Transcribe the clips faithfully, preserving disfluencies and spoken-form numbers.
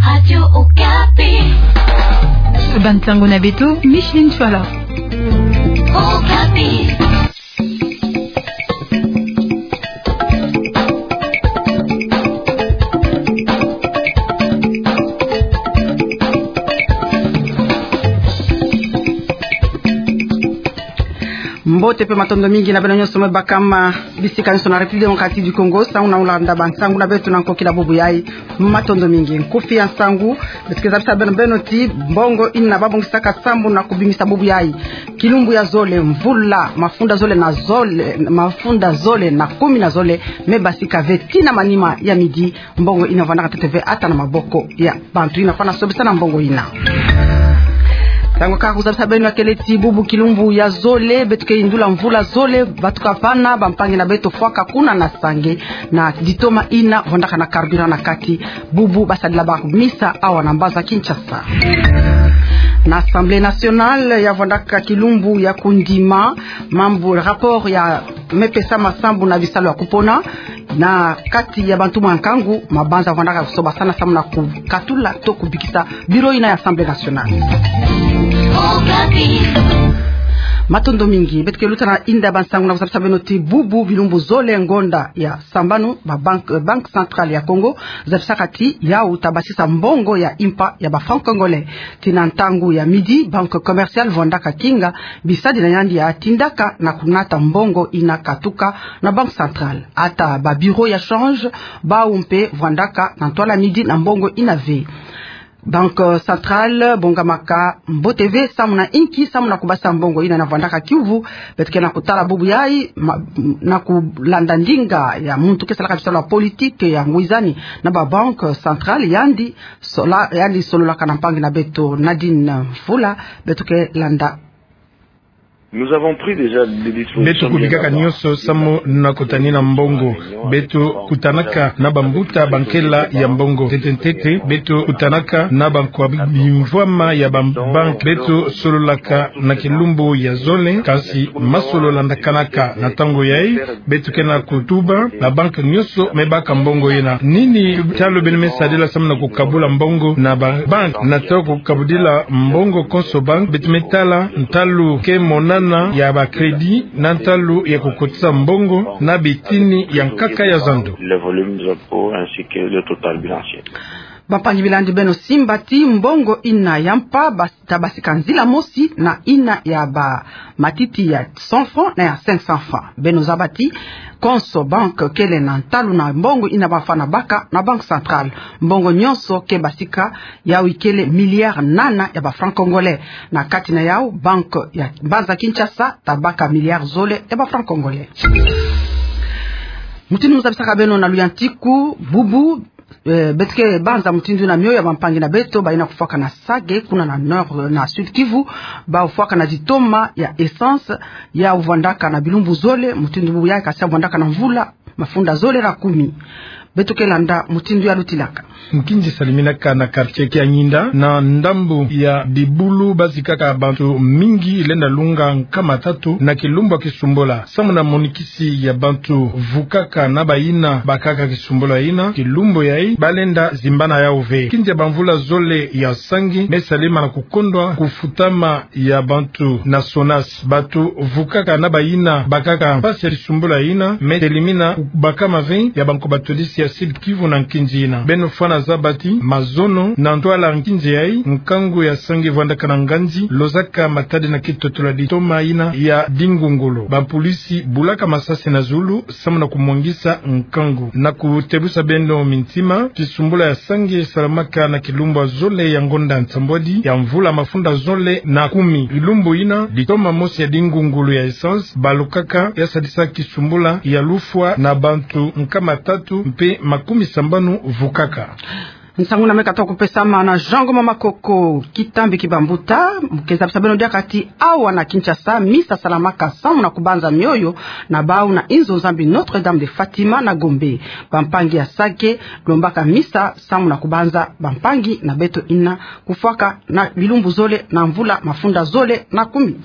Radio Okapi. Bansango na beto, Micheline Chouala. Okapi. Mbote mpe matondo mingi na beno nyonso mwe bakama bisika nyonso na République Démocratique du Congo, nsangu na kulanda bansangu na beto na nkokila bubu yayi. Matondo mingi. Nkufi ya nsangu, beto ke zabisa beno, beno ti mbongo ina babongisaka sambu na kubimisa bubu yayi. Kilumbu ya zole, mvula mafunda zole na zole, mafunda zole na kumi na zole, me basika ve tii na manima ya midi, mbongo ina vandaka ntete ve ata na maboko ya bantu ina fwana sobisa na mbongo ina. Ntangu kaka kuzabisa beno ya kele ti bubu kilumbu ya zole, beto ke yindula mvula zole, batuka vana, bampangi na beto fwaka kuna na Sange, na ditoma ina vandaka na carburant na kati, bubu basadila ba misa awa na mbanza Kinshasa. Na Assemblée nationale ya vandaka kilumbu ya kundima mambu rapport ya me pesama sambu na bisalu ya kupona na kati ya bantu mwa nkangu, mabanza vandaka kusobasana sambu na kukatula to kubikisa bureau ina ya Assemblée nationale. Matondo mingi. Beto ke luta na inda bansangu na kuzabisa beno ti bubu bilumbu zole ngonda ya sambanu, ba banque, Banque Centrale ya Congo zabisaka ti yawu ta basisa mbongo ya impa ya ba francs congolais. Tii na ntangu ya midi, Banque Commerciale vandaka kinga bisadi na yandi ya tindaka na kunata mbongo ina katuka na Banque Centrale. Ata ba bureau ya change, bawu mpe vandaka na ntwala midi na mbongo ina ve. Banque Centrale bongamaka mbote ve sambu na inki, sambu na kubasa mbongo ina na vandaka kiuvu. Beto ke na kutala bubu yayi, ma-, na kulanda ndinga ya muntu ke salaka bisalu ya politique ya ngwizani na ba Banque Centrale, yandi sola-, yandi sololaka na mpangi na beto Nadine Mvula. Beto ke landa. Nous avons pris déjà des dispositions. Beto kubikaka nyonso sambu na kutanina mbongo. Beto kutanaka na bambuta bankela ya mbongo. Ntete ntete, beto kutanaka na bankwa bimvwama ya ba banque. Beto sololaka na kilumbu ya zole, kansi masolo landakanaka na ntangu yayi. Beto ke na kutuba ba banque nyonso me baka mbongo ina. Nini ntalu beno me sadila sambu na kukabula mbongo na ba banque? Na ntangu kukabudila mbongo konso banque, beto me tala ntalu ke monana ya ba crédit na ntalu ya kukotisa mbongo na bitini ya nkaka ya zandu. Les volumes d'impôts ainsi que le total bilanciel. Bampangi, bilandi beno simba ti mbongo ina ya mpa bas-, ta basika nzila mosi na ina ya ba matiti ya cent francs na ya cinq cents francs. Beno zaba ti konso banque kele na ntalu na mbongo ina bafwana baka na Banque Centrale. Mbongo nyonso ke basika, yawu ikele milliard nana ya ba francs congolais. Na kati na yawu, banque ya mbanza Kinshasa ta baka milliard zole ya ba francs congolais. Mutindu mu zabisaka beno na luyantiku bubu, eh, beto ke banza mutindu na mioyo ya bampangi na beto bayina kufwaka na Sake, kuna na Nord, na Sud Kivu, bawu fwaka na ditoma ya essence, yawu vandaka na bilumbu zole, mutindu bubu yayi kasi yawu vandaka na mvula mafunda zole na kumi. Beto ke landa mutindu ya lutilaka. Nkinzi saliminaka na quartier Kianyinda, na ndambu ya Dibulu, bazikaka bantu mingi lenda lunga nkama tatu na kilumbu ya kisumbula. Sambu na monikisi ya bantu vukaka na bayina bakaka kisumbula yina, kilumbu yayi balenda zimbana yawu ve. Nkinzi ya bamvula zole ya sangi me salima na kukondwa kufutama ya bantu na SONAS. Bantu vukaka na bayina bakaka mpasi ya kisumbula yina me telimina kubakama ve ya banko batodisi ya Sud Kivu na nkinzi yina. Beno fwana zaba ti mazono na ntwala nkinzi yayi, nkangu ya sangi vandaka na nganzi, lozaka matadi na kitotola ditoma yina ya dingungulu. Bapolisi bulaka masasi na zulu sambu na kumwangisa nkangu. Na kutebusa beno mintima, kisumbula ya sangi salamaka na kilumbu ya zole ya ngonda nsambwadi ya mvula mafunda zole na kumi. Kilumbu yina, ditoma mosi ya dingungulu ya essence balukaka, ya sadisa kisumbula ya lufwa na bantu nkama tatu mpe makumi sambanu vukaka. Nsangu na me kata kupesama na Jean Ngoma Makoko. Kitambi ki bambuta, mu ke zabisa beno diaka ti awa na Kinshasa, misa salamaka sambu na kubanza mioyo na bawu na inzo Nzambi Notre-Dame de Fatima na Gombe. Bampangi ya Sake lombaka misa sambu na kubanza bampangi na beto yina kufwaka na bilumbu zole na mvula mafunda zole na kumi.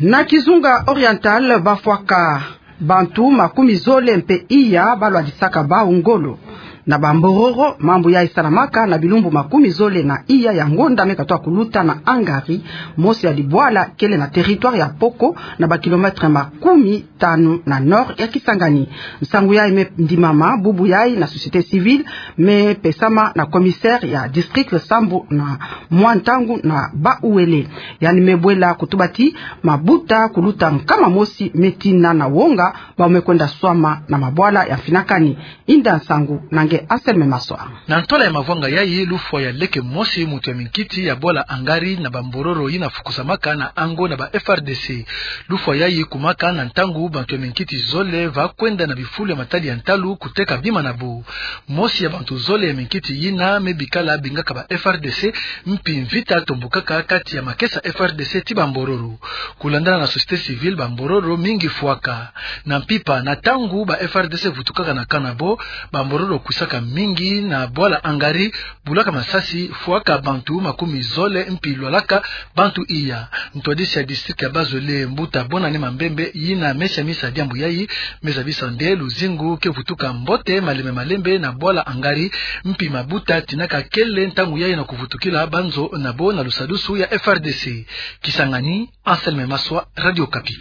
Na Kizunga Oriental, bafwaka bantu makumi zole mpe iya balwadisaka bawu ngolo. Na Bambororo, mambu yayi salamaka na bilumbu makumi zole na iya ya ngonda me katoa kuluta na Hungary, mosi ya libwala kele na territoire ya Poko, na ba kilomètre makumi tanu na nord ya Kisangani. Nsangu yayi me ndimama bubu yayi na société civile, me pesama na commissaire ya district sambu na mwa ntangu na bawele. Yandi me bwela kutuba ti mabuta kuluta nkama mosi me tina na wonga, bau me kwenda swama na mabwala ya mfinakani. Inda nsangu na nge Anselme Maswa. Na ntola ya mavwanga yayi, lufwa ya leke mosi muntu ya minkiti ya bwala Hungary na Bambororo yina fukusamaka na ango na ba F R D C. Lufwa yayi kumaka na ntangu bantu ya minkiti zole va kwenda na bifulu ya matadi ya ntalu kuteka bima na bo. Mosi ya bantu zole ya minkiti yina me bikala bingaka ba F R D C, mpi mvita tombokaka kati ya makesa F R D C ti Bambororo. Kulandana na société civile, Bambororo mingi fwaka na mpimpa. Na ntangu ba F R D C vutukaka na camp na bo, Bambororo kwisaka mingi na bwala Hungary, bulaka masasi, fwaka bantu makumi zole mpi lwalaka bantu iya. Ntwadisi ya district ya Bazole, mbuta Bonane Mambembe, yina me siamisa diambu yayi, me zabisa nde luzingu ke vutuka mbote malembe malembe na bwala Hungary, mpi mabuta tinaka kele ntangu yayi na kuvutukila banzo na bo na lusadusu ya F R D C. Kisangani, Anselme Maswa, Radio Okapi.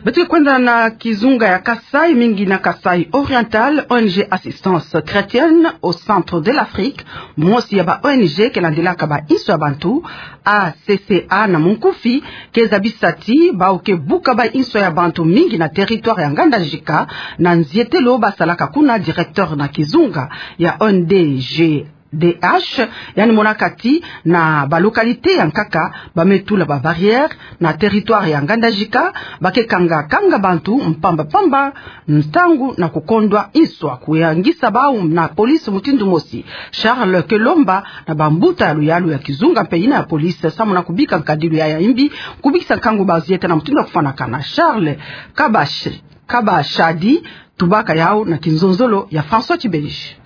Beto ke kwenda na kizunga ya Kasaï, mingi na Kasaï Oriental. O N G Assistance Chrétienne au Centre de l'Afrique, mosi ya ba O N G ke landilaka bainso ya bantu, A C C A na munkufi, ke zabisa ti bau ke buka bainso ya bantu mingi na territoire ya Ngandajika, na nzietelo basalaka kuna. Directeur na kizunga ya O N G D H, yandi monaka ti na ba localité ya nkaka ba me tula ba barrière na territoire ya Ngandajika, ba ke kanga kanga bantu mpamba mpamba ntangu na kukondwa inso. Kuyangisa bau na police mutindu mosi. Charles Kelomba na bambuta ya luyalu ya kizunga mpe yina ya police samu na kubika nkadilu ya ya imbi, kubikisa nkangu bazieta na mutindu ya kufwanakana. Charles Kabash Kabashadi, tubaka yau na kinzonzolo ya François Tibelege.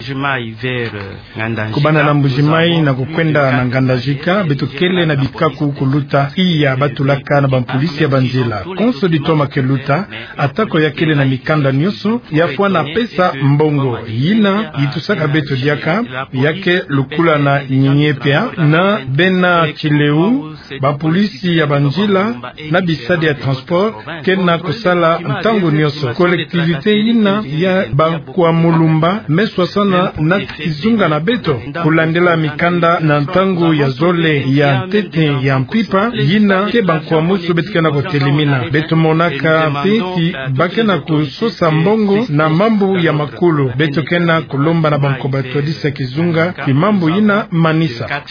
Kubanda na Mbuji-Mayi na kukwenda na Ngandajika, beto kele na bikaku kuluta iya batulaka na bampolisi ya banzila. Konso ditoma ke luta, atako ya kele na mikanda nyonso, ya fwana pesa mbongo. Yina yitusaka beto diaka, ya ke lukula na Nyinyi Epia, na bena Tsileu, bapolisi ya banzila na bisadi ya transport ke na kusala ntangu nyonso. Collectivité yina ya Bankwa Mulumba me swasana na kizunga na beto, kulandila mikanda na ntangu ya zole ya ntete ya mpimpa yina ke bankwamusu beto ke na kutelemina. Beto monaka mpe ti ba ke na kusosa mbongo na mambu ya makulu. Beto ke na kulomba na bankoba twadisa kizunga ti mambu yina manisa.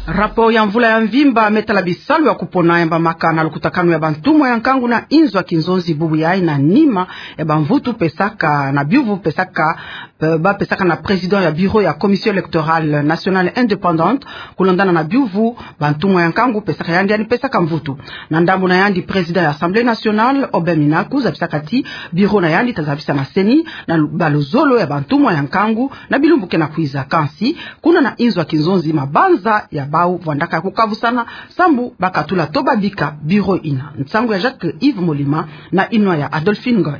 Rapport ya mvula ya mvimba me tala bisalu ya kupona yambamaka na lukutakanu ya bantumwa ya nkangu na inzo ya kinzonzi bubu yayi na nima ya bamvutu pesaka na biuvu pesaka, eh, ba pesaka na président ya bureau ya Commission électorale nationale indépendante, kulandana na biuvu bantumwa ya nkangu pesaka yandi, yandi pesaka mvutu. Na ndambu na yandi, président ya Assemblée nationale, Aubin Minaku, zabisaka ti bureau na yandi ta zabisa na CENI na lu-, baluzolo ya bantumwa ya nkangu na bilumbu ke na kwiza. Kansi, kuna na inzo ya kinzonzi, mabanza ya bau vwandaka kukavusana sambu ba katula to ba bika bureau yina. Nsangu ya Jacques Yves Molima na inwa ya Adolphine Ngoy.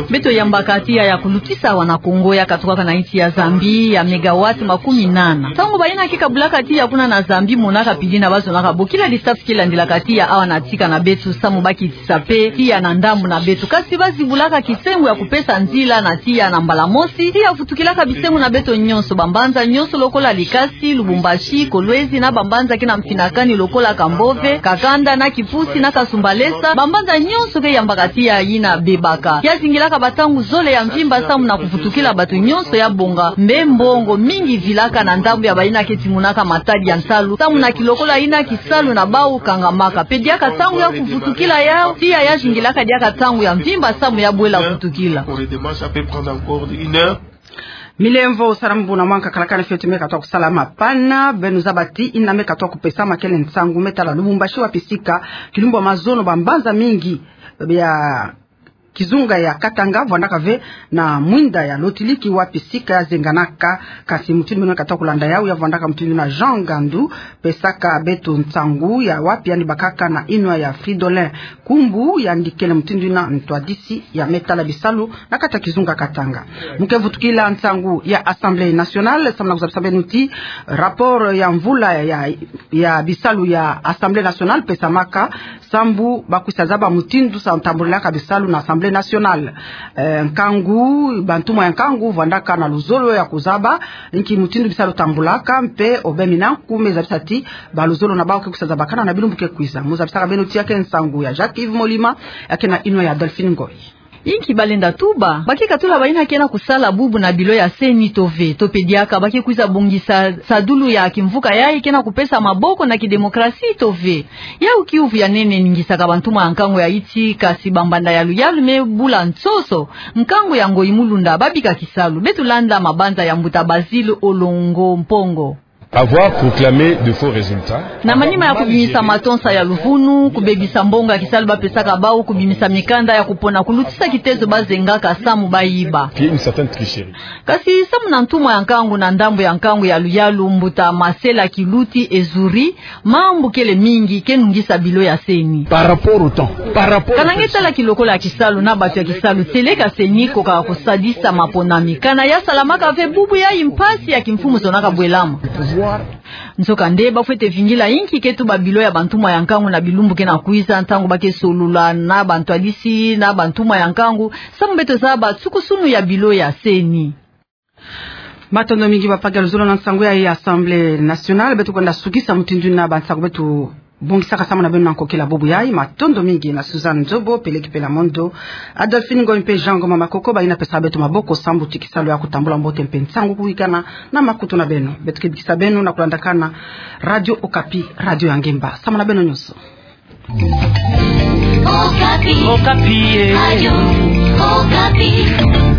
Beto yambaka tiya ya kulutisa wana Kongo ya katukaka na insi ya Zambie ya mégawatts makumi nana. Ntangu bayina ke kabulaka tiya kuna na Zambie monaka pili na bazonaka bokila lisasu ke landilaka tiya awa na tika na beto samu ba kitisa mpe tiya na ndambu na beto. Kansi ba zibulaka kisengo ya kupesa nzila na tiya na mbala mosi, tiya vutukilaka bisengo na beto nyonso, bambanza nyonso lokola Likasi, Lubumbashi, Kolwezi na bambanza ke na mfinakani lokola Kambove, Kakanda na Kipusi na Kasumbalesa, bambanza nyonso ke yambaka tiya yina bebaka. Ya zingilaka bantangu zole ya mvimba samu na kuvutukila bato nyonso ya bonga. Mbe mbongo mingi vilaka na ndambu ya bayina ke timonaka matadi ya nsalu samu na kilokola yina kisalu na bau kangamaka. Mpe diaka ntangu ya kuvutukila yau, tiya ya zingilaka diaka ntangu ya mvimba samu ya bwela vutukila. Milemvo salambu na mwanka kalakana fioti me katoa kusalama pana, beno zaba ti yina me katoa kupesama kele nsangu me tala Lubumbashi, wapi sika kilumbu ya mazono bambanza mingi bia kizunga ya Katanga, vwandaka ve na mwinda ya lotiliki wapi sika ya zenganaka. Kasi mutindu meno kata kulanda yau, ya vwandaka mutindu na Jean Ngandu, pesaka beto nsangu ya wapi yandi bakaka na inwa ya Fridolin Kumbu, yandi kele mutindu na ntwadisi ya me tala bisalu na kati ya kizunga Katanga. Mu ke vutukila nsangu ya Assemblée nationale, samu na kuzabisa beno ti rapport ya mvula ya, ya bisalu ya Assemblée nationale pesamaka sambu ba kwisa zaba mutindu sa ntambulaka bisalu na Assemblée nationale. Eh, nkangu, bantumwa ya nkangu vwandaka na luzolo ya kuzaba inki mutindu bisalu tambulaka, mpe obemina nkume zabisa ti ba luzolo na bau ke kwisa zabakana na bilumbu ke kwiza. Mu zabisaka beno ti ya ke nsangu ya Jacques Yves Molima, ya ke na inwa ya Delphine Ngoy. Inki balenda tuba? Ba ke katula bayina ke na kusala bubu na bilo ya CENI to ve? To pe diaka ba ke kwiza bongisa sadulu ya kimvuka yayi ke na kupesa maboko na kidemokrasi to ve? Yau kiuvu ya nene ningisaka bantumwa ya nkangu ya Haïti, kasi bambanda ya luyalu me bula nsoso. Nkangu ya Ngoyi Mulunda babika kisalu. Beto landa mabanza ya mbuta Basile Olongo Mpongo. Avoir proclamé de faux résultats. Na manima ya kubimisa matonsa ya luvunu, kubebisa mbongo ya kisalu bapesaka bau, kubimisa mikanda ya kupona, kulutisa kitezo bazengaka samu bayiba. Puis une certaine tricherie. Kasi samu na ntumwa ya nkangu na ndambu ya nkangu ya luyalu, mbuta Marcela Kiluti Ezuri, mambu kele mingi ke nungisa bilo ya CENI. Par rapport au temps, par rapport au... Kana nge tala kilokola ya kisalu na bato ya kisalu, seleka CENI koka kusadisa maponami. Kana ya salamaka ve bubu yayi, mpasi ya kimfumu zonaka bwelama. Nzokande, ba fwete vingila inki ke tuba bilo ya bantumwa ya nkangu na bilumbu ke na kwiza, ntangu ba ke solola na bantwadisi na bantumwa ya nkangu, samu beto zaba nsukusunu ya bilo ya CENI. Matondo mingi bapagalo zolo na nsangu ya Assemblée nationale. Beto kwenda sukisa mutindu na bansangu beto bongisaka samu na beno na nkokila bubu yayi. Matondo mingi na Suzanne Nzobo, Peleki Pela Mondo, Adolphine Ngoy mpe Jean Ngoma Makoko, bayina pesa beto maboko samu ti kisalu ya kutambula mbote mpe nsangu kuwikana na makutu na beno. Beto ke bikisa beno na kulandakana Radio Okapi, radio ya ngemba samu na beno nyonso. Okapi. Okapi, eh. Radio Okapi.